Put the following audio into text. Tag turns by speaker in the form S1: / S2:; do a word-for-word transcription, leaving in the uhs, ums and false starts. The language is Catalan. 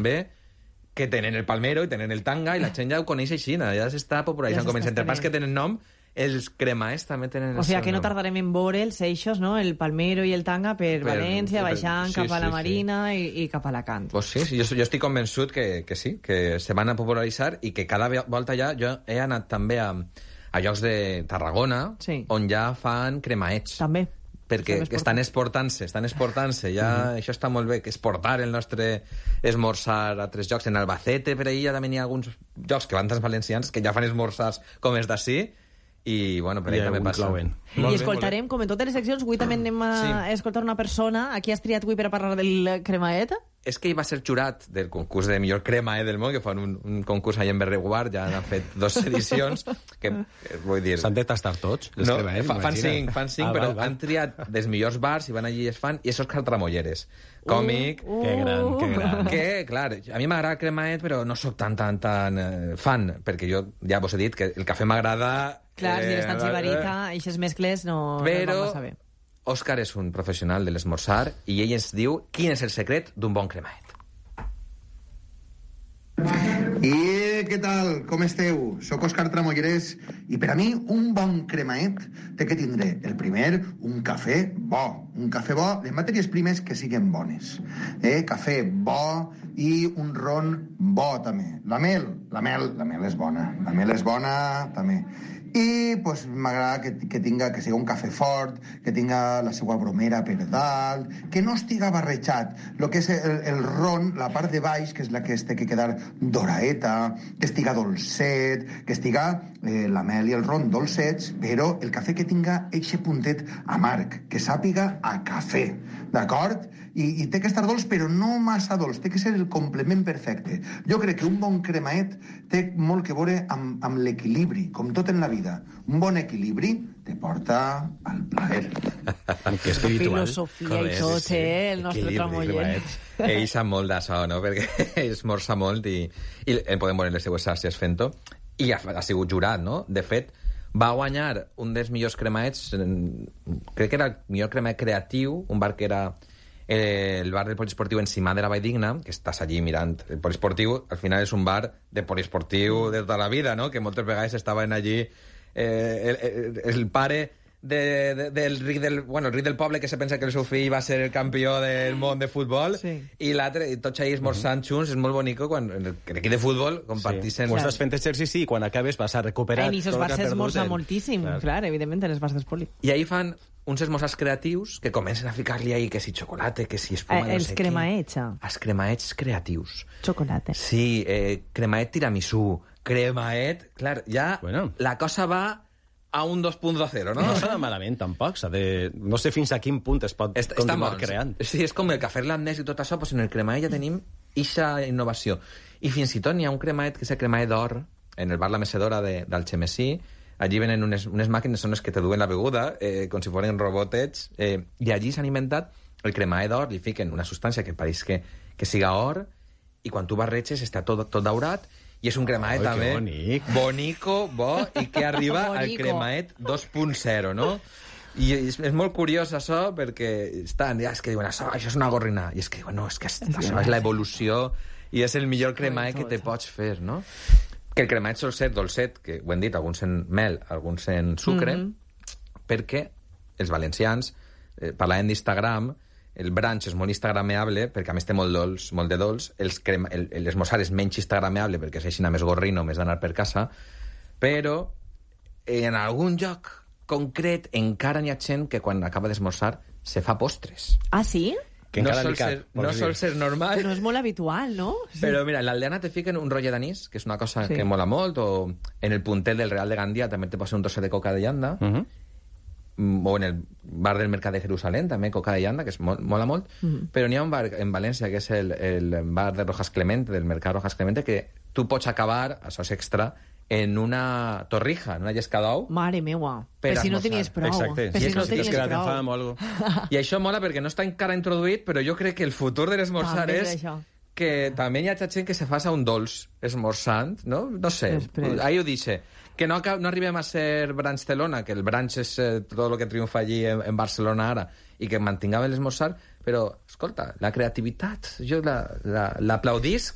S1: també, que tenen el palmero i tenen el tanga, i la gent ja ho coneix així, ja s'està popularitzant. Ja com els entrepans que tenen nom, els cremaets també tenen el
S2: O sigui,
S1: seu
S2: que no
S1: nom.
S2: tardarem en veure els eixos, no? El palmero i el tanga per,
S1: Per-
S2: València,
S1: per-
S2: baixant
S1: sí,
S2: cap a la
S1: sí,
S2: Marina i, i cap a Alacant.
S1: Pues sí, sí, jo, jo estic convençut que, que sí, que se van a popularitzar i que cada ve- volta ja... Jo he anat també a, a llocs de Tarragona,
S2: Sí.
S1: on ja fan cremaets.
S2: També.
S1: Perquè
S2: Estem
S1: estan exportant-se, estan exportant-se. Ja, uh-huh. Això està molt bé, que exportar el nostre esmorzar a altres llocs. En Albacete, per ahir, ja també hi ha alguns llocs que van tants valencians que ja fan esmorzars com els d'ací, i, bueno, per ahí també passa.
S2: I escoltarem, com en totes les seccions, avui també anem a
S1: Sí.
S2: escoltar una persona. Aquí has triat avui per a parlar del cremaet?
S1: És que ell va ser jurat del concurs de millor cremaet del món, que fan un, un concurs allà en Berreguard, ja han fet dos edicions, que, eh, vull dir...
S3: S'han de tastar tots, els
S1: No,
S3: cremaets,
S1: fa, fan
S3: imagina.
S1: cinc, fan cinc,
S3: Ah,
S1: però
S3: val, val.
S1: han triat dels millors bars i van allí i es fan, i això és Cartramolleres. Còmic...
S2: Uh,
S3: Que gran, que gran.
S1: Que, clar, a mi m'agrada el cremaet, però no sóc tan, tan, tan eh, fan, perquè jo ja vos he dit que el cafè m'agrada...
S2: Clar, si eres tan
S1: eh,
S2: xivarita, eixes mescles no,
S1: Però
S2: no vam a saber.
S1: Òscar és un professional de l'esmorzar i ell ens diu quin és el secret d'un bon cremaet.
S4: I què tal? Com esteu? Soc Òscar Tramolleres i per a mi un bon cremaet té que tindre el primer, un cafè bo. Un cafè bo de matèries primes que siguen bones. Eh? Cafè bo i un ron bo també. La mel, la mel, la mel és bona. La mel és bona també. I pues, m'agrada que, que tinga que sigui un cafè fort, que tinga la seva bromera per dalt, que no estiga barrejat. Lo que és el, el ron, la part de baix, que és la que es té que quedar doraeta, que estiga dolcet, que estiga eh, la mel i el ron dolcets, però el cafè que tinga eixe puntet amarg, que sàpiga a cafè, d'acord? I, I té que estar dolç, però no massa dolç, té que ser el complement perfecte. Jo crec que un bon cremaet té molt que veure amb, amb l'equilibri, com tot en la vida. Un bon equilibri te porta al plaer.
S3: Que espiritual.
S2: Filosofia i tot, eh, el nostre Tramoller.
S1: Ell sap molt d'això, no? Perquè esmorza molt i, i en podem veure les seues xarxes fent-ho. I ha, ha sigut jurat, no? De fet, va guanyar un dels millors cremaets, crec que era el millor cremaet creatiu, un bar que era eh, el bar del poliesportiu encima de la Valldigna, que estàs allí mirant el poliesportiu, al final és un bar de poliesportiu de tota la vida, no? Que moltes vegades estaven allí eh, el, el, el pare de, de, del, ric del, bueno, el ric del poble que se pensa que el seu fill va ser el campió del món de futbol,
S2: Sí.
S1: i l'altre, i tots allà esmorzant junts, és molt bonico quan en l'equip de futbol compartixen...
S3: Sí. O estàs fent exercici i quan acabes vas a recuperar
S2: En esos
S3: tot el
S2: bars
S3: que has
S2: s'esmorza
S3: perdut.
S2: moltíssim,
S3: Clar.
S2: clar, evidentment, en els bars d'espoli.
S1: I ahir fan uns esmorzars creatius que comencen a ficar-li ahí que si xocolate, que si espuma,
S2: Eh,
S1: no
S2: els
S1: sé
S2: cremaets,
S1: què. Els cremaets creatius.
S2: Xocolate.
S1: Sí, eh, cremaet tiramisú, cremaet... Clar, ja
S3: Bueno.
S1: la cosa va a un dos punt zero, no?
S3: No s'ha de malament, tampoc. S'ha de... No sé fins a quin punt es pot
S1: Est està
S3: continuar
S1: molt.
S3: creant.
S1: Sí, és com el cafè irlandès i tot això, doncs en el cremaet ja tenim ixa innovació. I fins i tot n'hi ha un cremaet que és el cremaet d'or, en el bar La Mecedora de, d'Algemesí. Allí venen unes, unes màquines, són les que te duen la beguda, eh, com si foren robotets, eh, i allí s'han inventat el cremaet d'or, li fiquen una substància que pareix que, que siga or, i quan tu barreges està tot, tot daurat, i és un cremaet
S3: Ai, que
S1: també
S3: bonic.
S1: bonico, bo, i que arriba al
S2: Bonico.
S1: cremaet dos punt zero, no? I és, és molt curiós això, perquè estan, ja, és que diuen, això, això és una gorrina, i és que diuen, no, és que és, això és l'evolució, i és el millor cremaet que te pots fer, no? Que el cremaet sol ser dolcet, que ho hem dit, alguns en mel, alguns en sucre,
S2: Mhm.
S1: perquè els valencians, eh, parlant d'Instagram, el brunch és molt instagrameable, perquè a més té molt dolç, molt de dolç, els crema, el, l'esmorzar és menys instagrameable, perquè és així més gorrino, més d'anar per casa, però en algun lloc concret encara n'hi ha gent que quan acaba d'esmorzar se fa postres.
S2: Ah, sí?
S3: Que
S1: no
S3: encara
S1: sol,
S3: li cap,
S1: ser,
S3: vols
S1: no
S3: dir.
S1: sol ser normal,
S2: Però és molt habitual, no?
S1: però mira, en l'Aldeana te fiquen un rotllo d'anís, que és una cosa
S2: Sí.
S1: que mola molt, o en el puntet del Real de Gandia també te posen un trosset de coca de llanda,
S3: Uh -huh.
S1: mm, o en el bar del Mercat de Jerusalén també coca de llanda, que es mo mola molt,
S2: Mhm.
S1: però n'hi ha un bar en València, que és el, el bar de Rojas Clemente, del Mercat Rojas Clemente, que tu pots acabar, això és extra, en una torrija, en una llesca d'ou.
S2: Mare meua.
S1: Per
S2: Per si no
S1: esmorzar.
S2: tenies prou.
S3: Exacte.
S2: Per
S1: Si
S2: si
S1: és
S2: no
S1: que
S2: tenies
S3: T'has quedat en
S2: prou.
S3: fam o algo.
S1: I això mola perquè no està encara introduït, però jo crec que el futur de l'esmorzar
S2: També és
S1: és
S2: això.
S1: que també hi ha gent que se fa un dolç esmorzant, no? No sé,
S2: Després.
S1: ahí ho dice. Que no, no arribem a ser Brancelona, que el branch és eh, tot el que triomfa allí en, en Barcelona ara, i que mantingava l'esmorzar, però, escolta, la creativitat, jo l'aplaudisc